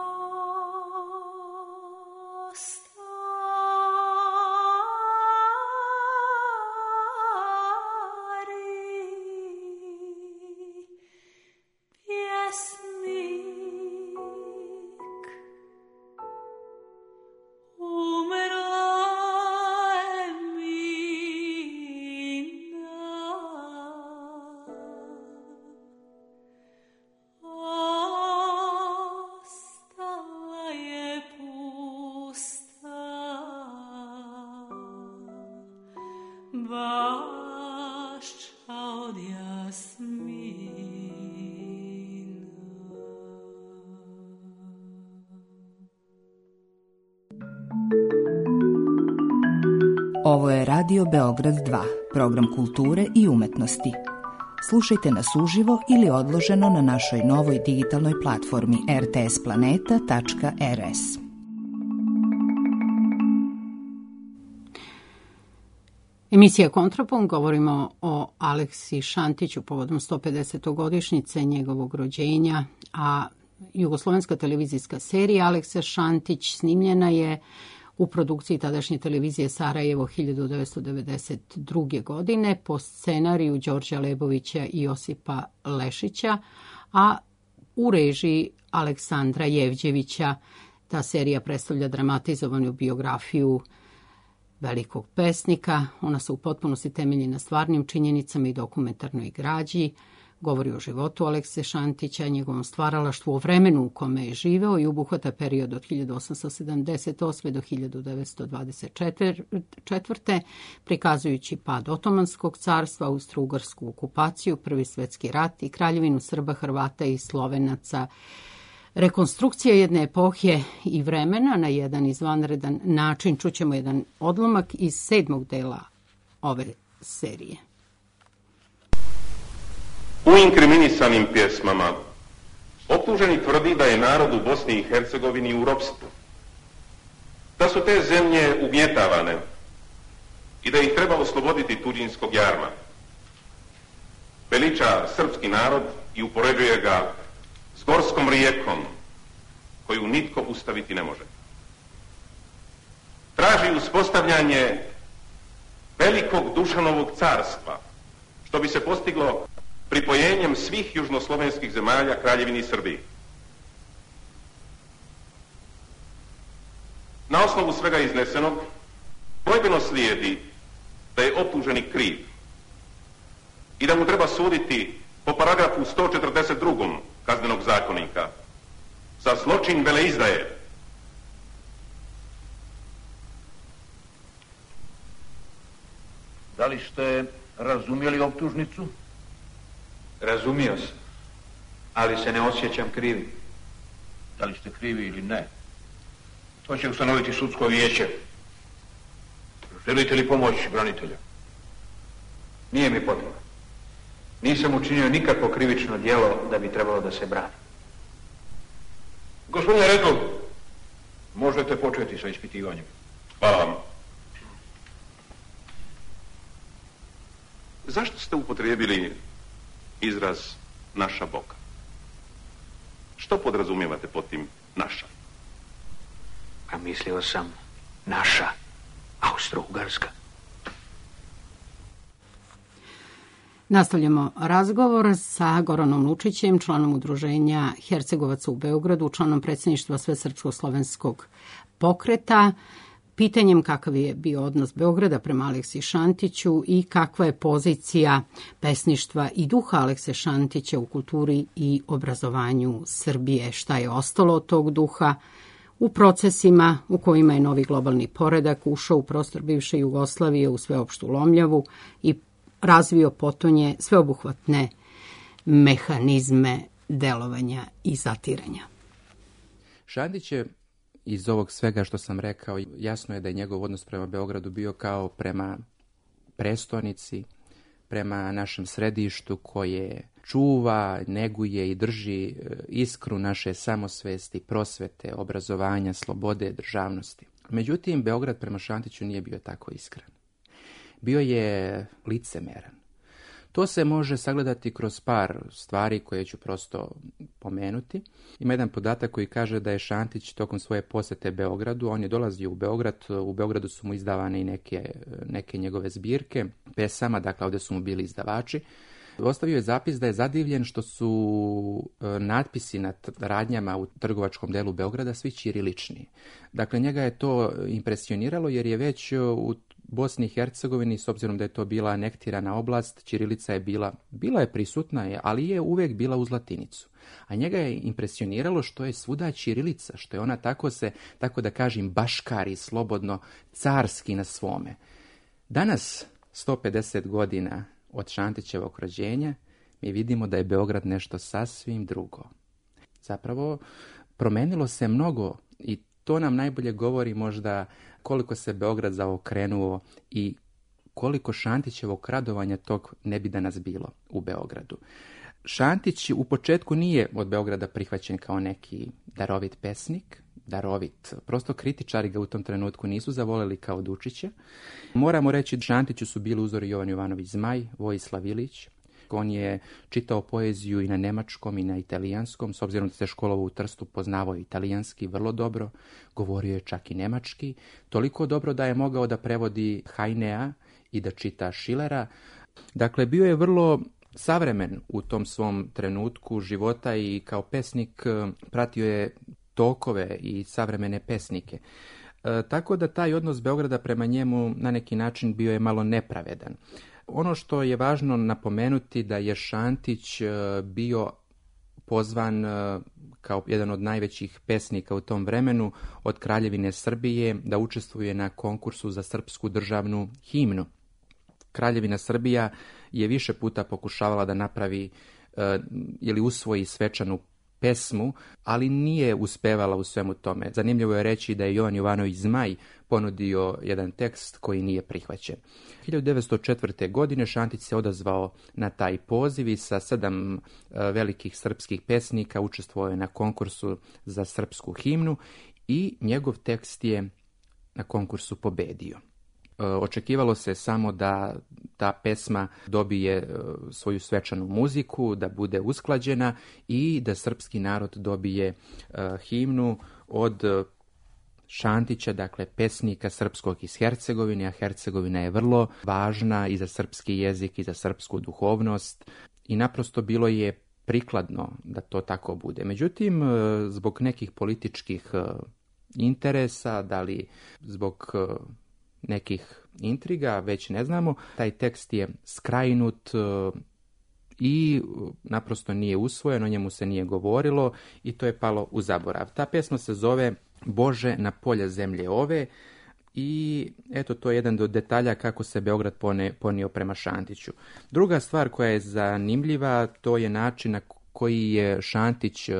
Speaker 9: Ovo je Radio Beograd 2, program kulture i umetnosti. Slušajte nas uživo ili odloženo na našoj novoj digitalnoj platformi rtsplaneta.rs.
Speaker 1: Emisija Kontrapunkt, govorimo o Aleksi Šantiću povodom 150. godišnjice njegovog rođenja, a jugoslovenska televizijska serija Aleksa Šantić snimljena je u produkciji tadašnje televizije Sarajevo 1992. godine po scenariju Đorđa Lebovića i Josipa Lešića, a u režiji Aleksandra Jevđevića. Ta serija predstavlja dramatizovanu biografiju velikog pesnika. Ona se u potpunosti temelji na stvarnim činjenicama i dokumentarnoj građi. Govori o životu Alekse Šantića, njegovom stvaralaštvu, o vremenu u kome je živeo i obuhvata period od 1878. do 1924. prikazujući pad Otomanskog carstva, Austro-Ugarsku okupaciju, Prvi svjetski rat i kraljevinu Srba, Hrvata i Slovenaca. Rekonstrukcija jedne epohe i vremena na jedan izvanredan način. Čućemo jedan odlomak iz 7. dela ove serije.
Speaker 10: U inkriminisanim pjesmama optuženi tvrdi da je narod u Bosni i Hercegovini u ropstvu, da su te zemlje ugnjetavane i da ih treba osloboditi tuđinskog jarma. Veliča srpski narod i upoređuje ga s gorskom rijekom koju nitko ustaviti ne može. Traži uspostavljanje velikog Dušanovog carstva, što bi se postiglo pripojenjem svih južnoslovenskih zemalja Kraljevini Srbiji. Na osnovu svega iznesenog, dvojbeno slijedi da je optuženi kriv i da mu treba suditi po paragrafu 142. Kaznenog zakonika za zločin veleizdaje.
Speaker 11: Da li ste razumjeli optužnicu?
Speaker 12: Razumio sam, ali se ne osjećam krivim.
Speaker 11: Da li ste krivi ili ne? To će ustanoviti sudsko vijeće. Želite li pomoć branitelja?
Speaker 12: Nije mi potrebno. Nisam učinio nikakvo krivično djelo da bi trebalo da se brani.
Speaker 11: Gospodine Redl, možete početi sa ispitivanjem.
Speaker 10: Hvala vam. zašto ste upotrijebili izraz naša Boga? Što podrazumijevate pod tim naša?
Speaker 11: A mislio sam naša Austro-Ugarska.
Speaker 1: Nastavljamo razgovor sa Goranom Lučićem, članom udruženja Hercegovaca u Beogradu, članom predsjedništva Svesrpsko-slovenskog pokreta, pitanjem kakav je bio odnos Beograda prema Aleksi Šantiću i kakva je pozicija pesništva i duha Alekse Šantića u kulturi i obrazovanju Srbije, šta je ostalo od tog duha u procesima u kojima je novi globalni poredak ušao u prostor bivše Jugoslavije u sveopštu lomljavu i razvio potonje sveobuhvatne mehanizme delovanja i zatiranja.
Speaker 4: Šantić je, iz ovog svega što sam rekao, jasno je da je njegov odnos prema Beogradu bio kao prema prestonici, prema našem središtu koje čuva, neguje i drži iskru naše samosvesti, prosvete, obrazovanja, slobode, državnosti. Međutim, Beograd prema Šantiću nije bio tako iskren. Bio je licemeran. To se može sagledati kroz par stvari koje ću prosto pomenuti. Ima jedan podatak koji kaže da je Šantić tokom svoje posjete Beogradu, on je dolazio u Beogradu su mu izdavane i neke njegove zbirke pesama, dakle ovdje su mu bili izdavači. Ostavio je zapis da je zadivljen što su natpisi nad radnjama u trgovačkom delu Beograda svi ćirilični. Dakle, njega je to impresioniralo jer je već u Bosni i Hercegovini, s obzirom da je to bila anektirana oblast, ćirilica je bila je prisutna, ali je uvijek bila uz latinicu. A njega je impresioniralo što je svuda ćirilica, što je ona tako da kažem, baškari, slobodno, carski na svome. Danas, 150 godina od Šantićevog rođenja, mi vidimo da je Beograd nešto sasvim drugo. Zapravo, promenilo se mnogo i to nam najbolje govori možda koliko se Beograd zaokrenuo i koliko Šantićevog radovanja tog ne bi danas bilo u Beogradu. Šantić u početku nije od Beograda prihvaćen kao neki darovit pesnik, prosto kritičari ga u tom trenutku nisu zavoleli kao Dučića. Moramo reći da Šantiću su bili uzori Jovan Jovanović Zmaj, Vojislav Ilić. On je čitao poeziju i na nemačkom i na italijanskom, s obzirom da se školovao u Trstu, poznavao italijanski vrlo dobro, govorio je čak i nemački, toliko dobro da je mogao da prevodi Heinea i da čita Schillera. Dakle, bio je vrlo savremen u tom svom trenutku života i kao pesnik pratio je tokove i savremene pesnike. Tako da taj odnos Beograda prema njemu na neki način bio je malo nepravedan. Ono što je važno napomenuti da je Šantić bio pozvan kao jedan od najvećih pesnika u tom vremenu od Kraljevine Srbije da učestvuje na konkursu za srpsku državnu himnu. Kraljevina Srbija je više puta pokušavala da napravi ili usvoji svečanu pesmu, ali nije uspevala u svemu tome. Zanimljivo je reći da je Jovan Jovanović Zmaj ponudio jedan tekst koji nije prihvaćen. 1904. godine Šantić se odazvao na taj poziv i sa 7 velikih srpskih pesnika učestvovao je na konkursu za srpsku himnu i njegov tekst je na konkursu pobedio. Očekivalo se samo da ta pesma dobije svoju svečanu muziku, da bude usklađena i da srpski narod dobije himnu od Šantića, dakle pesnika srpskog iz Hercegovine, a Hercegovina je vrlo važna i za srpski jezik i za srpsku duhovnost i naprosto bilo je prikladno da to tako bude. Međutim, zbog nekih političkih interesa, da li zbog nekih intriga, već ne znamo, taj tekst je skrajnut i naprosto nije usvojen, o njemu se nije govorilo i to je palo u zaborav. Ta pesma se zove Bože na polja zemlje ove i eto, to je jedan od detalja kako se Beograd ponio prema Šantiću. Druga stvar koja je zanimljiva, to je način na koji je Šantić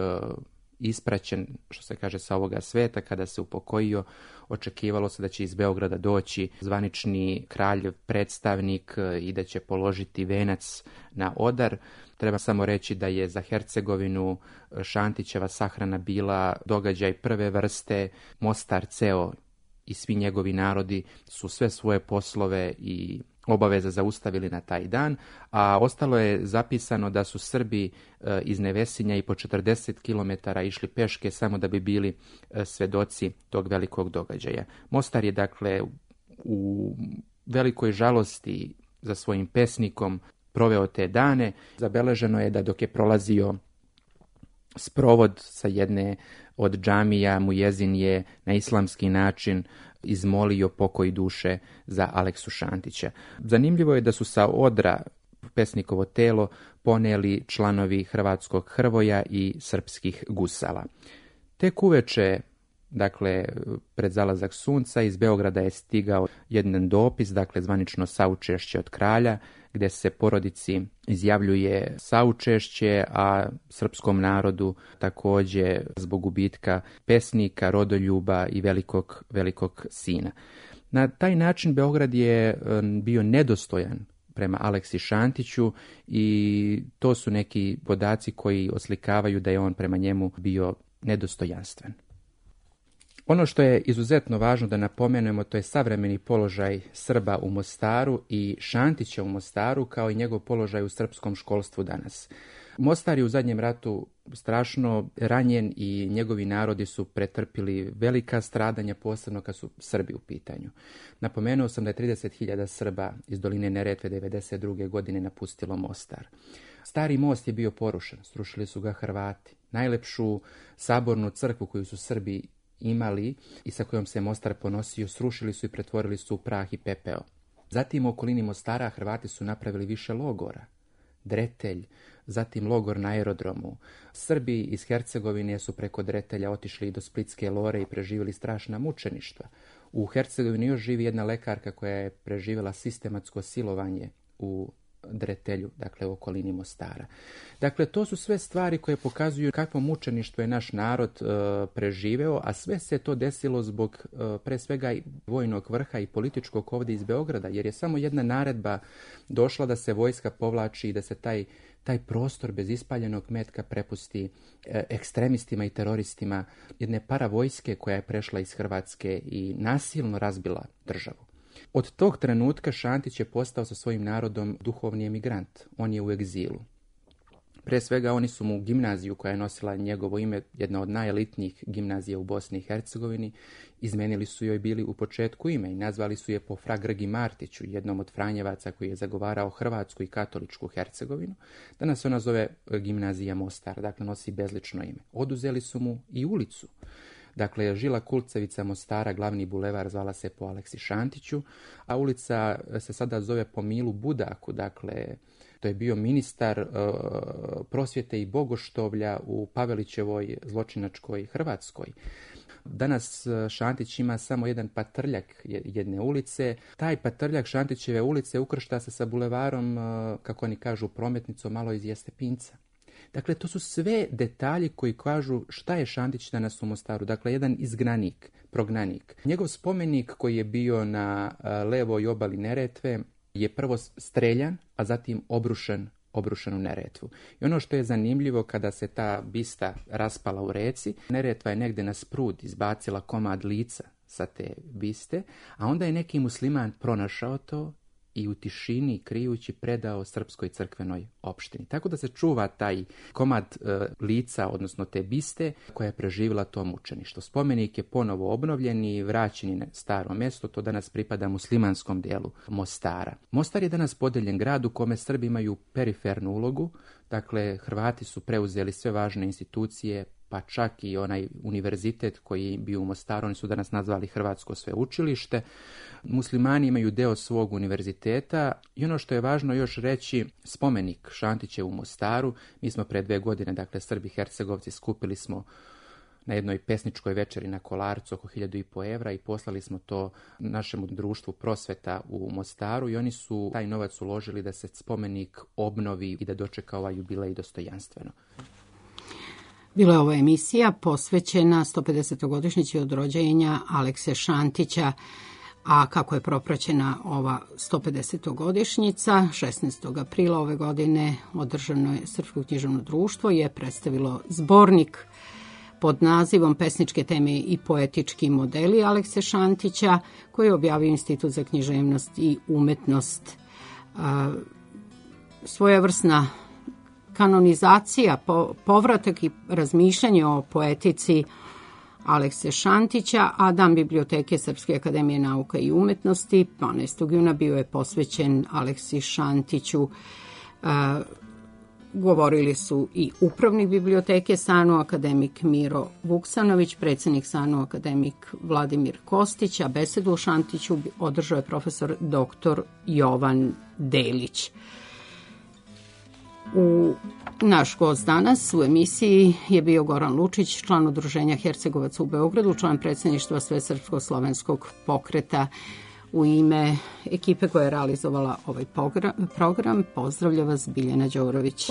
Speaker 4: ispraćen, što se kaže, sa ovoga sveta. Kada se upokojio, očekivalo se da će iz Beograda doći zvanični kralj, predstavnik i da će položiti venac na odar. Treba samo reći da je za Hercegovinu Šantićeva sahrana bila događaj prve vrste. Mostar ceo i svi njegovi narodi su sve svoje poslove i obaveza zaustavili na taj dan, a ostalo je zapisano da su Srbi iz Nevesinja i po 40 km išli peške samo da bi bili svedoci tog velikog događaja. Mostar je dakle u velikoj žalosti za svojim pesnikom proveo te dane. Zabeleženo je da dok je prolazio sprovod sa jedne od džamija, Mujezin je na islamski način izmolio pokoj duše za Aleksu Šantića. Zanimljivo je da su sa odra pesnikovo telo poneli članovi hrvatskog Hrvoja i srpskih gusala. Tek uveče, dakle, pred zalazak sunca, iz Beograda je stigao jedan dopis, dakle, zvanično saučešće od kralja, gdje se porodici izjavljuje saučešće, a srpskom narodu također zbog gubitka pesnika, rodoljuba i velikog sina. Na taj način Beograd je bio nedostojan prema Aleksi Šantiću i to su neki podaci koji oslikavaju da je on prema njemu bio nedostojanstven. Ono što je izuzetno važno da napomenemo, to je savremeni položaj Srba u Mostaru i Šantića u Mostaru, kao i njegov položaj u srpskom školstvu danas. Mostar je u zadnjem ratu strašno ranjen i njegovi narodi su pretrpili velika stradanja, posebno kad su Srbi u pitanju. Napomenuo sam da je 30.000 Srba iz doline Neretve 1992. godine napustilo Mostar. Stari most je bio porušen, srušili su ga Hrvati. Najlepšu sabornu crkvu koju su Srbi imali i sa kojom se Mostar ponosio, srušili su i pretvorili su u prah i pepeo. Zatim u okolini Mostara Hrvati su napravili više logora. Dretelj, zatim logor na aerodromu. Srbi iz Hercegovine su preko Dretelja otišli do Splitske Lore i preživjeli strašna mučeništva. U Hercegovini još živi jedna lekarka koja je preživjela sistematsko silovanje u Dretelju, dakle u okolini Mostara. Dakle, to su sve stvari koje pokazuju kakvo mučeništvo je naš narod preživeo, a sve se to desilo zbog pre svega vojnog vrha i političkog ovdje iz Beograda, jer je samo jedna naredba došla da se vojska povlači i da se taj prostor bez ispaljenog metka prepusti ekstremistima i teroristima jedne paravojske koja je prešla iz Hrvatske i nasilno razbila državu. Od tog trenutka Šantić je postao sa svojim narodom duhovni emigrant. On je u egzilu. Pre svega oni su mu gimnaziju koja je nosila njegovo ime, jedna od najelitnijih gimnazija u Bosni i Hercegovini, izmenili su joj bili u početku ime i nazvali su je po fra Grgi Martiću, jednom od Franjevaca koji je zagovarao hrvatsku i katoličku Hercegovinu. Danas se ona zove gimnazija Mostar, dakle nosi bezlično ime. Oduzeli su mu i ulicu. Dakle, Žila Kulcevica Mostara, glavni bulevar, zvala se po Aleksi Šantiću, a ulica se sada zove po Milu Budaku, dakle, to je bio ministar prosvjete i bogoštovlja u Pavelićevoj zločinačkoj Hrvatskoj. Danas Šantić ima samo jedan patrljak jedne ulice. Taj patrljak Šantićeve ulice ukršta se sa bulevarom, kako oni kažu, prometnicom malo iz Jestepinca. Dakle, to su sve detalji koji kažu šta je Šantić danas u Mostaru. Dakle, jedan izgnanik, prognanik. Njegov spomenik koji je bio na levoj obali Neretve je prvo streljan, a zatim obrušen u Neretvu. I ono što je zanimljivo, kada se ta bista raspala u reci, Neretva je negdje na sprud izbacila komad lica sa te biste, a onda je neki musliman pronašao to i u tišini, krijući, predao srpskoj crkvenoj opštini. Tako da se čuva taj komad lica, odnosno te biste, koja je preživjela to mučeništvo. Spomenik je ponovo obnovljen i vraćen na staro mjesto, to danas pripada muslimanskom dijelu Mostara. Mostar je danas podeljen grad u kome Srbi imaju perifernu ulogu, dakle Hrvati su preuzeli sve važne institucije, pa čak i onaj univerzitet koji je bio u Mostaru, oni su danas nazvali Hrvatsko sveučilište. Muslimani imaju deo svog univerziteta i ono što je važno još reći, spomenik Šantiće u Mostaru. Mi smo pre 2 godine, dakle Srbi Hercegovci, skupili smo na jednoj pesničkoj večeri na Kolarcu oko 1.500 evra i poslali smo to našemu društvu Prosveta u Mostaru i oni su taj novac uložili da se spomenik obnovi i da dočeka ovaj jubilej dostojanstveno.
Speaker 1: Bila je ova emisija posvećena 150-godišnjici od rođenja Alekse Šantića, a kako je propraćena ova 150-godišnjica, 16. aprila ove godine održano je Srpsko književno društvo je predstavilo zbornik pod nazivom Pesničke teme i poetički modeli Alekse Šantića, koji je objavio Institut za književnost i umetnost. Svojevrsna kanonizacija, povratak i razmišljanje o poetici Alekse Šantića, a Dan biblioteke Srpske akademije nauka i umetnosti 12. juna bio je posvećen Aleksi Šantiću. Govorili su i upravnik biblioteke SANU akademik Miro Vuksanović, predsjednik SANU akademik Vladimir Kostić, a besedu o Šantiću održao je profesor dr. Jovan Delić. Naš gost danas u emisiji je bio Goran Lučić, član Udruženja Hercegovaca u Beogradu, član predsjedništva Svesrpsko-slovenskog pokreta. U ime ekipe koja je realizovala ovaj program pozdravlja vas Biljana Đorović.